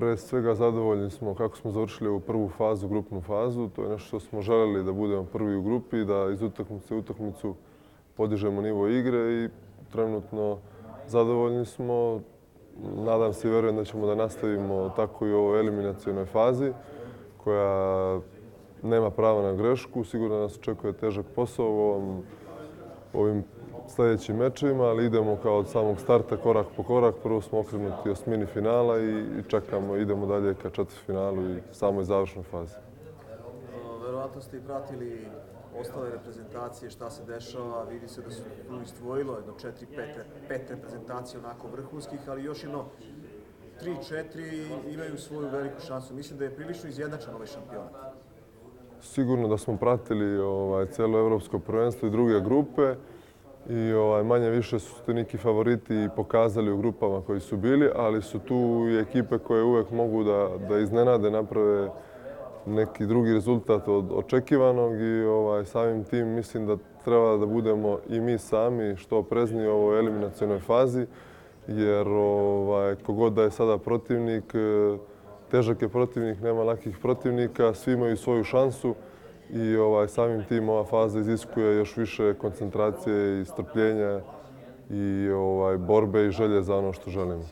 Pre svega zadovoljni smo kako smo završili ovu prvu fazu, grupnu fazu. To je nešto što smo želeli da budemo prvi u grupi, da iz utakmice u utakmicu podižemo nivo igre i trenutno zadovoljni smo. Nadam se i vjerujem da ćemo da nastavimo tako i u ovoj eliminacionoj fazi koja nema prava na grešku. Sigurno nas očekuje težak posao u ovim sljedećim mečevima, ali idemo kao od samog starta korak po korak. Prvo smo okrenuti osmini finala i čekamo, idemo dalje ka četvrtfinalu i samoj završnoj fazi. Verovatno ste i pratili ostale reprezentacije, šta se dešava. Vidi se da su tu izdvojilo jedno 4-5 reprezentacija onako vrhunskih, ali još jedno 3-4 imaju svoju veliku šansu. Mislim da je prilično izjednačen ovaj šampionat. Sigurno da smo pratili cijelo evropsko prvenstvo i druge grupe i manje više su ti neki favoriti pokazali u grupama koji su bili, ali su tu i ekipe koje uvek mogu da iznenade, naprave neki drugi rezultat od očekivanog i samim tim mislim da treba da budemo i mi sami što oprezniji u ovoj eliminacionoj fazi, jer kogod da je sada protivnik, težak je protivnik, nema lakih protivnika, svi imaju svoju šansu i samim tim ova faza iziskuje još više koncentracije i strpljenja i borbe i želje za ono što želimo.